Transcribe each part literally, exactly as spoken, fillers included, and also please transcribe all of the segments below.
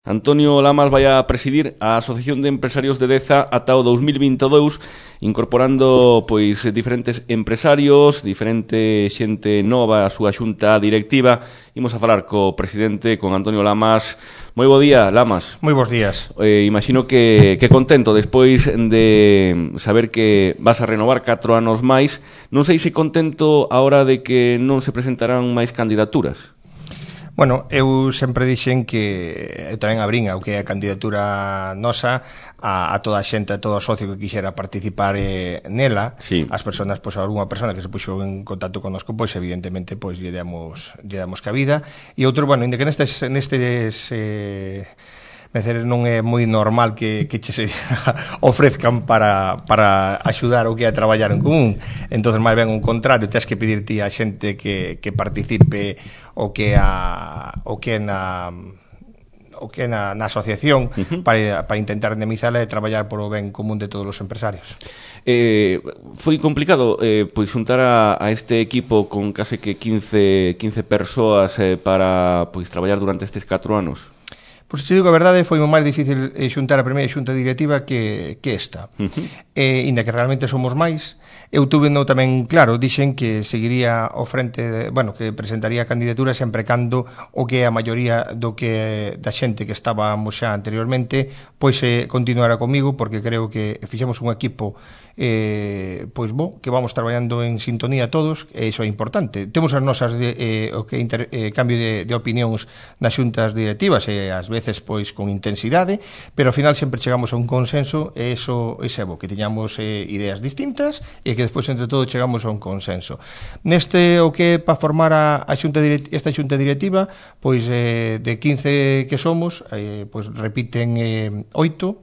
Antonio Lamas vai a presidir a Asociación de Empresarios de Deza ata o dous mil vinte e dous, incorporando pois diferentes empresarios, diferente xente nova a súa xunta directiva. Imos a falar co presidente, con Antonio Lamas. Moi bo día, Lamas. Moi bons días. Eh, imagino que, que contento despois de saber que vas a renovar catro anos máis. Non sei se contento a hora de que non se presentarán máis candidaturas. Bueno, eu sempre dixen que eu tamén abrín o que é a candidatura nosa a, a toda a xente, a todo o socio que quixera participar eh, nela. Sí. As persoas, pois, algunha persona que se puxo en contacto connosco, pois evidentemente pois lle damos lle damos cabida. E outro, bueno, inda que nestes nestes eh Mecer, non é moi normal que, que che se ofrezcan para, para axudar ou que a traballar en común. Entón, máis ben, un contrario, tens que pedir ti a xente que, que participe o que a o que na o que na, na asociación uh-huh. para, para intentar indemnizarla e traballar por o ben común de todos os empresarios. Eh, foi complicado eh, pois xuntar a, a este equipo con case que quince persoas eh, para pois traballar durante estes catro anos. Pois te digo a verdade, foi máis difícil xuntar a primeira xunta directiva que, que esta. Uh-huh. eh, Inda que realmente somos máis, eu tuve no tamén claro, dixen que seguiría ao frente, de, bueno, que presentaría candidatura sempre cando o que a maioría do que da xente que estábamos xa anteriormente, pois eh, continuara comigo, porque creo que fixemos un equipo eh, pois bo, que vamos traballando en sintonía todos, e iso é importante. Temos as nosas de, eh, o que inter, eh, cambio de, de opinións nas xuntas directivas, e ás veces pois con intensidade, pero ao final sempre chegamos a un consenso, e iso é bo, que teñamos eh, ideas distintas e que despois entre todos chegamos a un consenso. Neste o que para formar a, a xunta direct, esta xunta directiva, pois eh, de quince que somos, eh, pois repiten eh, oito,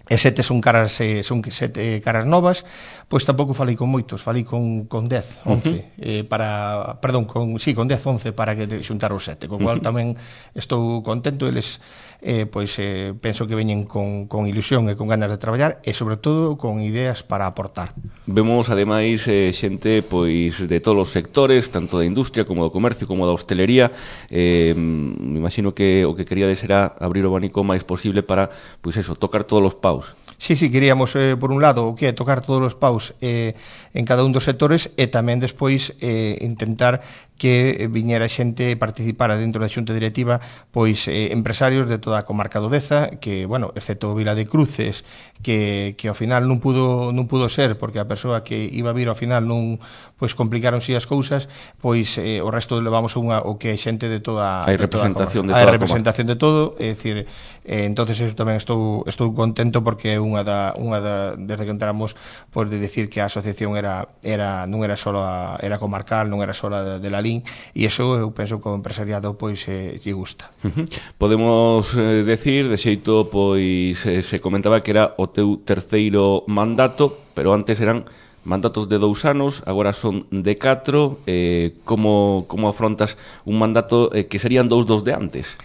e sete son caras eh, son sete caras novas, pois tampouco falei con moitos, falei con con dez, once, uh-huh. eh, para, perdón, con sí, con dez, once para que xuntar os sete, co cual uh-huh. tamén estou contento. Eles eh, pois eh, penso que veñen con, con ilusión e con ganas de traballar e sobre todo con ideas para aportar. Vemos ademais eh, xente pois de todos os sectores, tanto da industria como do comercio como da hostelería. Eh, me imagino que o que queríades era abrir o abanico máis posible para, pois eso, tocar todos os paus. Sí, sí, queríamos, eh, por un lado, o que é tocar todos os paus eh, en cada un dos sectores e tamén despois eh, intentar que viñera xente e participara dentro da xunta directiva, pois eh, empresarios de toda a comarca do Deza, que, bueno, excepto Vila de Cruces, que, que ao final non pudo non pudo ser, porque a persoa que iba a vir ao final non, pois complicaronse as cousas, pois eh, o resto levamos unha, o que é xente de toda hai representación de toda a hai representación de todo, é dicir, eh, entonces eso tamén estou estou contento porque é unha da unha da desde que entramos, pois de decir que a asociación era era non era só a, era comarcal, non era só de, de la Lín, e iso eu penso que o empresariado pois eh, lle gusta. Uh-huh. Podemos eh, decir, de xeito, pois eh, se comentaba que era o teu terceiro mandato, pero antes eran mandatos de dous anos, agora son de catro. Eh, como, como afrontas un mandato eh, que serían dous dos de antes?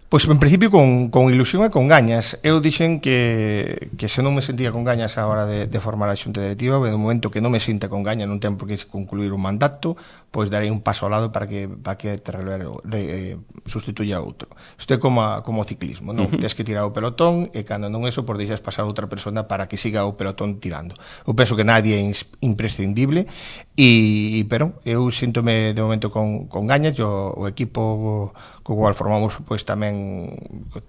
Pois en principio con, con ilusión e con gañas. Eu dixen que, que se non me sentía con gañas a hora de, de formar a xunta directiva, e no momento que non me sinta con gañas, non ten por que concluir un mandato, pois darei un paso ao lado para que para que te relevo, re, sustituya outro. Isto é como, a, como o ciclismo, non? Uh-huh. Tens que tirar o pelotón e cando non eso, por deixas pasar a outra persona para que siga o pelotón tirando. Eu penso que nadie é imprescindible, e, pero eu síntome de momento con, con gañas, o, o equipo co cual formamos pois tamén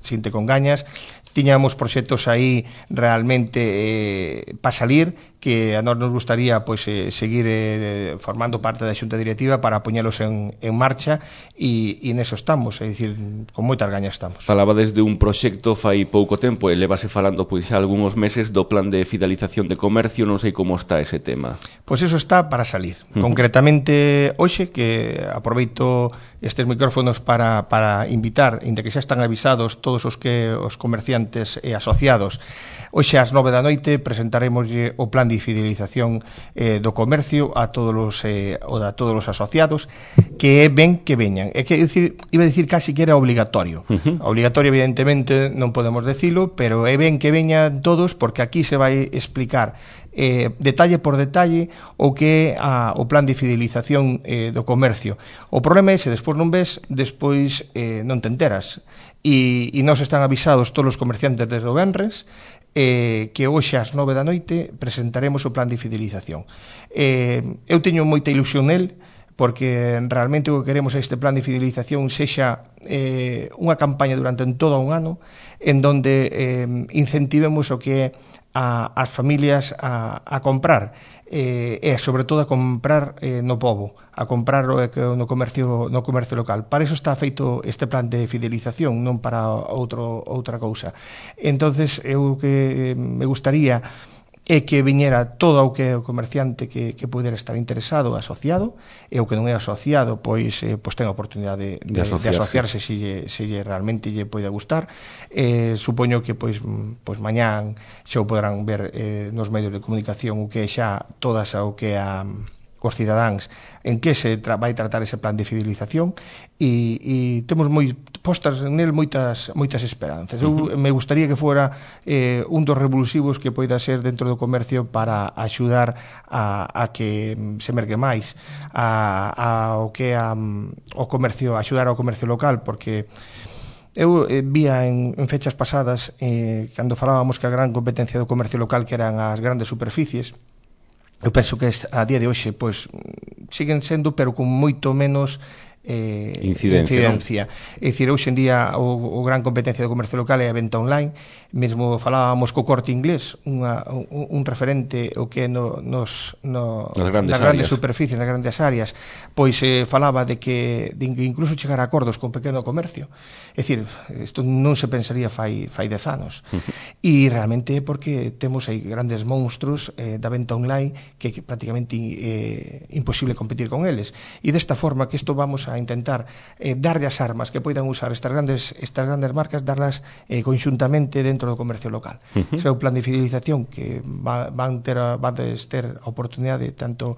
sinte con gañas. Tiñamos proxectos aí realmente eh, para salir, que a nós nos gustaría pois eh, seguir eh, formando parte da xunta directiva para poñelos en, en marcha, e, e neso estamos, é dicir, con moitas gañas estamos. Falaba desde un proxecto fai pouco tempo e levase falando pois xa algúns meses do plan de fidelización de comercio, non sei como está ese tema. Pois eso está para salir. Uh-huh. Concretamente hoxe, que aproveito estes micrófonos para, para invitar, inda que xa están avisados todos os que os comerciantes e asociados, hoxe ás nove da noite presentaremos o plan de fidelización eh, do comercio a todos os eh, ou a todos os asociados, que é ben que veñan. É que decir, iba a decir casi que era obligatorio. Uh-huh. Obligatorio evidentemente non podemos decilo, pero é ben que veñan todos, porque aquí se vai explicar eh, detalle por detalle o que é a, o plan de fidelización eh, do comercio. O problema é se despois non ves, despois eh, non te enteras. E, e nos están avisados todos os comerciantes desde o venres eh, que hoxe ás nove da noite presentaremos o plan de fidelización. Eh, eu teño moita ilusión nel, porque realmente o que queremos é este plan de fidelización sexa eh, unha campaña durante todo un ano en donde eh, incentivemos o que é a, as familias a, a comprar eh, e sobre todo a comprar eh, no pobo, a comprar no comercio no comercio local. Para eso está feito este plan de fidelización, non para outro, outra cousa. Entonces eu que me gustaría é que viñera todo o que é o comerciante que, que pudera estar interesado, asociado, e o que non é asociado, pois, eh, pois ten a oportunidade de, de, de, asociarse. de asociarse se lle, se lle realmente lle pode gustar. Eh, supoño que pois, pois mañán xa o poderán ver eh, nos medios de comunicación o que é xa todas o que é a os cidadáns en que se tra vai tratar ese plan de fidelización e, e temos moi postas nel moitas moitas esperanzas. Eu me gustaría que fora eh, un dos revulsivos que poida ser dentro do comercio para axudar a, a que se mergue máis a, a o que a, o comercio, axudar ao comercio local, porque eu eh, vía en, en fechas pasadas eh, cando falábamos que a gran competencia do comercio local que eran as grandes superficies. Eu penso que a día de hoxe pois siguen sendo, pero con moito menos eh, incidencia, incidencia. É dicir, hoxe en día o, o gran competencia do comercio local é a venta online. Mesmo falábamos co Corte Inglés, unha, un, un referente o que no, nos, no, nas grandes, nas grandes superficies, nas grandes áreas, pois eh, falaba de que, de que incluso chegar a acordos con pequeno comercio. É dicir, isto non se pensaría fai, fai dez anos. Uh -huh. E realmente é porque temos aí grandes monstruos eh, da venta online que é prácticamente eh, imposible competir con eles. E desta forma que isto vamos a intentar eh, darlle as armas que poidan usar estas grandes, estas grandes marcas, darlas eh, conxuntamente dentro do comercio local. Uh -huh. Será un plan de fidelización que va, van ter a, van ter a oportunidade tanto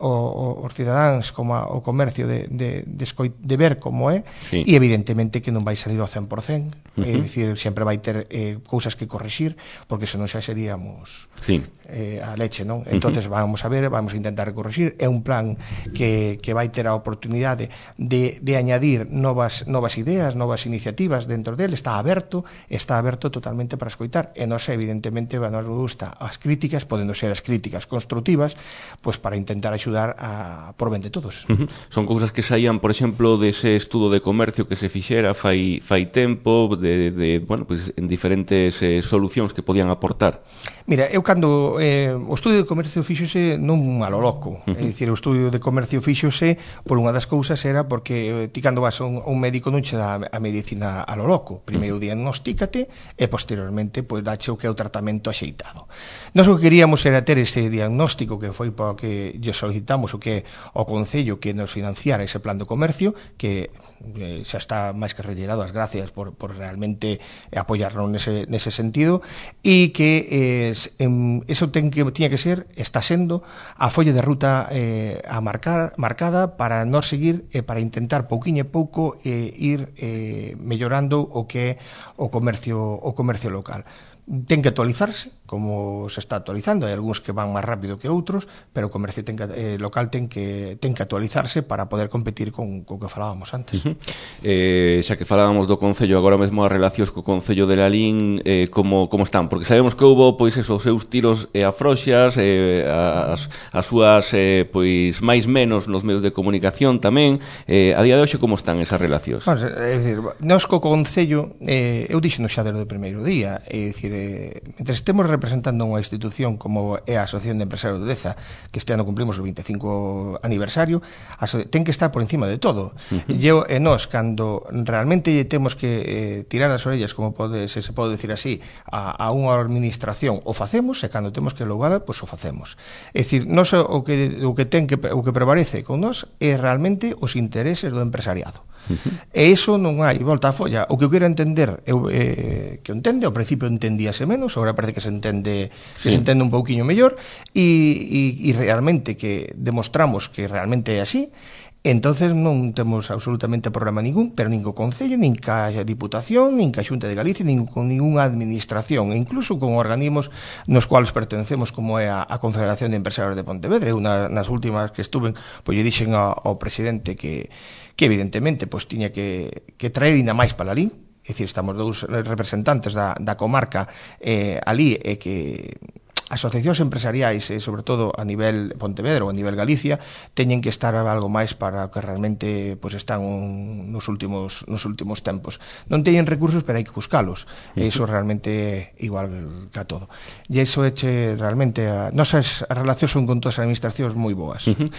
o, os cidadáns como a, o comercio de, de, de, escoit, de ver como é, sí. E evidentemente que non vai salir ao cen por cen, uh -huh. É dicir, sempre vai ter eh, cousas que corrixir, porque senón xa seríamos sí. eh, a leche, non? Entonces uh -huh. vamos a ver, vamos a intentar corrixir. É un plan que, que vai ter a oportunidade de, de añadir novas, novas ideas, novas iniciativas dentro dele, está aberto, está aberto totalmente para escoitar, e nos evidentemente nos gusta as críticas, podendo ser as críticas constructivas, pois para intentar axudar a por ben de todos. Uh -huh. Son cousas que saían, por exemplo, dese estudo de comercio que se fixera fai, fai tempo, de, de, bueno, pues, en diferentes eh, solucións que podían aportar. Mira, eu cando eh, o estudio de comercio fíxose non a lo loco, uh -huh. É dicir, o estudio de comercio fíxose por unha das cousas era porque eh, ti cando vas a un, a un médico non che dá a medicina a lo loco, primeiro uh -huh. diagnostícate e posteriormente pois dache o que é o tratamento axeitado. Nós o que queríamos era ter ese diagnóstico que foi para que lle solicitamos o que é o Concello que nos financiara ese plan do comercio, que eh, xa está máis que retirado, as gracias por, por realmente apoyarnos nese, nese sentido, e que eh, en, eso ten que, tiña que ser, está sendo a folla de ruta eh, a marcar, marcada para non seguir e eh, para intentar pouquiño e pouco eh, ir eh, mellorando o que é o comercio, o comercio local. Ten que actualizarse, como se está actualizando, hai algúns que van máis rápido que outros, pero o comercio ten que, eh, local ten que, ten que actualizarse para poder competir con o que falábamos antes. Uh -huh. eh, xa que falábamos do Concello, agora mesmo as relacións co Concello de Lalín, eh, como, como están? Porque sabemos que houbo pois esos seus tiros e afroxas, eh, as, as súas eh, pois máis menos nos medios de comunicación tamén. Eh, a día de hoxe como están esas relacións? Bueno, é dicir, nós co Concello, eh, eu dixeno xa desde o primeiro día, é dicir, eh, mentre estemos representando unha institución como é a Asociación de Empresarios de Deza, que este ano cumplimos o vinte e cinco aniversario, ten que estar por encima de todo. Uh -huh. Eu e nós, cando realmente temos que eh, tirar as orellas, como pode, se se pode decir así, a, a unha administración, o facemos, e cando temos que lograr, pois o facemos. É dicir, nós o que, o que ten que, o que prevalece con nós é realmente os intereses do empresariado. Uh -huh. E iso non hai volta a folla. O que eu quero entender, eu, eh, que eu entende, ao principio entendíase menos, agora parece que se entende, sí. que se entende un pouquiño mellor, e, e, e realmente que demostramos que realmente é así, Entonces non temos absolutamente problema ningún, pero nin co Concello, nin ca Diputación, nin ca Xunta de Galicia, nin con ninguna administración, e incluso con organismos nos cuales pertencemos, como é a, a Confederación de Empresarios de Pontevedra. Una, nas últimas que estuven, pois lle dixen ao, ao presidente que, que evidentemente pois tiña que, que traer ainda máis para ali, é dicir, estamos dous representantes da, da comarca eh, ali, e que asociacións empresariais, e sobre todo a nivel Pontevedra ou a nivel Galicia, teñen que estar algo máis para o que realmente pois, están un, nos últimos nos últimos tempos. Non teñen recursos, pero hai que buscalos. E iso realmente é igual que a todo. E iso é che, realmente a, nosas relacións son con todas as administracións moi boas. Uh -huh.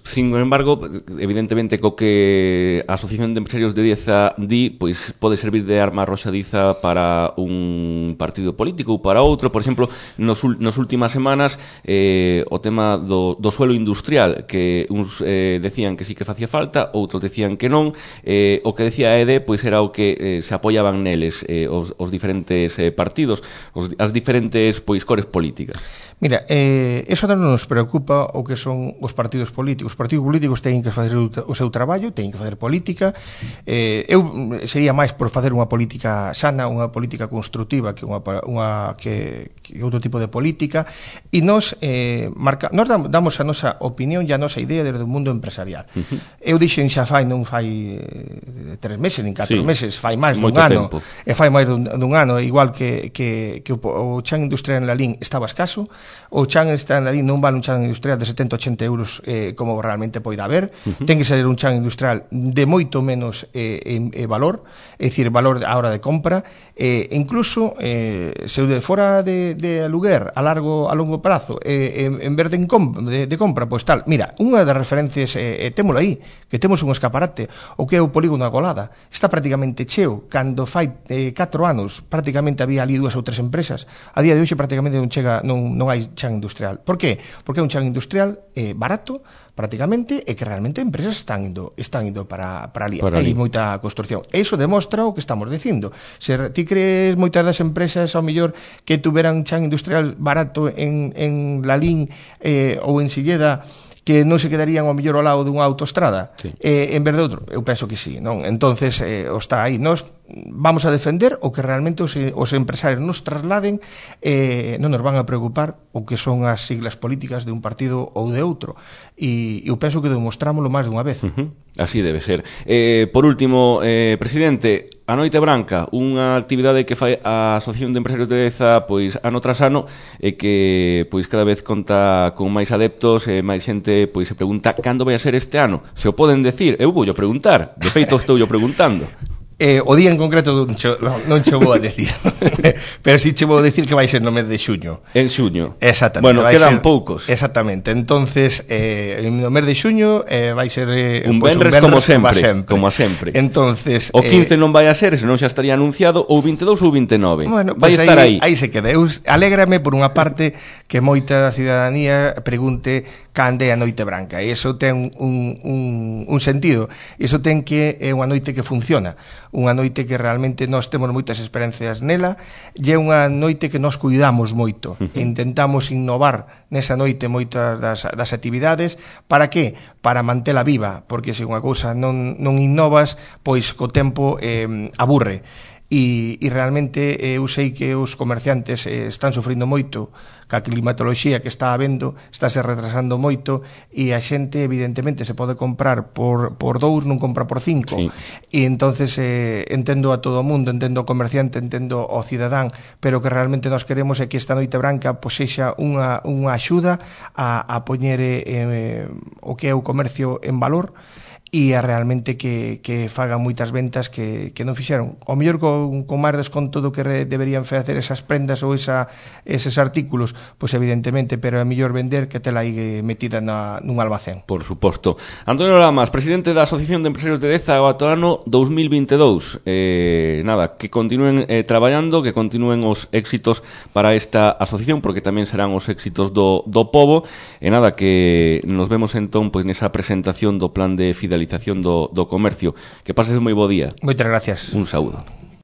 Sin embargo, evidentemente co que a Asociación de Empresarios de Deza di, pois pode servir de arma arroxadiza para un partido político ou para outro. Por exemplo, nos, nos últimas semanas eh, o tema do, do suelo industrial, que uns eh, decían que sí que facía falta, outros decían que non. Eh, o que decía a E D pois era o que eh, se apoyaban neles eh, os, os diferentes eh, partidos, os, as diferentes pois cores políticas. Mira, eh, eso non nos preocupa o que son os partidos políticos. Os partidos políticos teñen que fazer o seu traballo, teñen que fazer política. Eh, eu sería máis por facer unha política sana, unha política constructiva que unha, unha que, que outro tipo de política. E nós eh, marca, nós damos a nosa opinión e a nosa idea desde o mundo empresarial. Uh -huh. Eu dixen xa fai non fai eh, tres meses, nin catro sí, meses, fai máis dun ano. Tempo. E fai máis dun, dun ano, igual que, que, que o, o chan industrial en Lalín estaba escaso. O chan está en Lalín non vale un chan industrial de setenta a ochenta euros eh, como realmente poida haber. Uh -huh. Ten que ser un chan industrial de moito menos eh, en, en valor, é dicir, valor a hora de compra. Eh, incluso eh, se de fora de, de aluguer a largo a longo prazo eh, en, en vez de, de, de compra, pois tal, mira, unha das referencias eh, eh, témolo aí, que temos un escaparate, o que é o polígono da Golada, está prácticamente cheo. Cando fai eh, catro anos prácticamente había ali dúas ou tres empresas, a día de hoxe prácticamente non chega, non, non hai chan industrial. Por que? Porque é un chan industrial eh, barato prácticamente, e que realmente empresas están indo están indo para, para ali. Para ali. Hai moita construcción. E iso demostra o que estamos dicindo. Se ti crees moitas das empresas ao mellor que tuveran chan industrial barato en, en Lalín eh, ou en Silleda, que non se quedarían ao mellor ao lado dunha autoestrada, sí, eh, en vez de outro? Eu penso que sí, non? Entonces, eh, o está aí. Nós vamos a defender o que realmente os, os empresarios nos trasladen, eh, non nos van a preocupar o que son as siglas políticas de un partido ou de outro. E eu penso que demostrámoslo máis dunha vez. Uh-huh. Así debe ser. Eh, por último, eh, presidente, a Noite Branca, unha actividade que fai a Asociación de Empresarios de Deza pois ano tras ano, e que pois cada vez conta con máis adeptos, e máis xente pois se pregunta cando vai a ser este ano. Se o poden decir, eu vou preguntar. De feito, estou yo preguntando. Eh, o día en concreto non che, non che vou a decir, pero si che vou a decir que vai ser no mes de xuño. En xuño. Exactamente. Bueno, quedan ser, poucos. Exactamente. Entonces, eh, no mes de xuño eh, vai ser eh, un pues, venres, un como sempre, sempre. como a sempre. Entonces, o quince eh, non vai a ser, senón xa estaría anunciado, ou vinte e dous ou vinte e nove. Bueno, vai pues estar aí. Aí se queda. Eu alégrame por unha parte que moita cidadanía pregunte cando é a Noite Branca. E iso ten un, un, un sentido. Iso ten que é unha noite que funciona. Unha noite que realmente nós temos moitas experiencias nela, e é unha noite que nós cuidamos moito. Uh-huh. Intentamos innovar nesa noite moitas das, das actividades. Para que? Para mantela viva, porque se unha cousa non, non innovas, pois co tempo eh, aburre. E, e realmente eh, eu sei que os comerciantes eh, están sufrindo moito ca climatoloxía que está habendo, estáse retrasando moito, e a xente evidentemente se pode comprar por, por dous, non compra por cinco, sí. E entonces eh, entendo a todo o mundo, entendo o comerciante, entendo o cidadán, pero que realmente nós queremos é que esta Noite Branca pois sexa unha, unha axuda a, a poñer eh, o que é o comercio en valor, e a realmente que, que fagan moitas ventas que, que non fixeron. O mellor con, con máis desconto do que re, deberían facer esas prendas ou esa, eses artículos, pois evidentemente, pero é mellor vender que tela aí metida na, nun almacén. Por suposto. Antonio Lamas, presidente da Asociación de Empresarios de Deza ao ano dous mil vinte e dous. Eh, nada, que continúen eh, traballando, que continúen os éxitos para esta asociación, porque tamén serán os éxitos do, do pobo. E nada, que nos vemos entón pois nesa presentación do plan de fidelización do, do comercio. Que pases moi bo día. Moitas gracias. Un saúdo.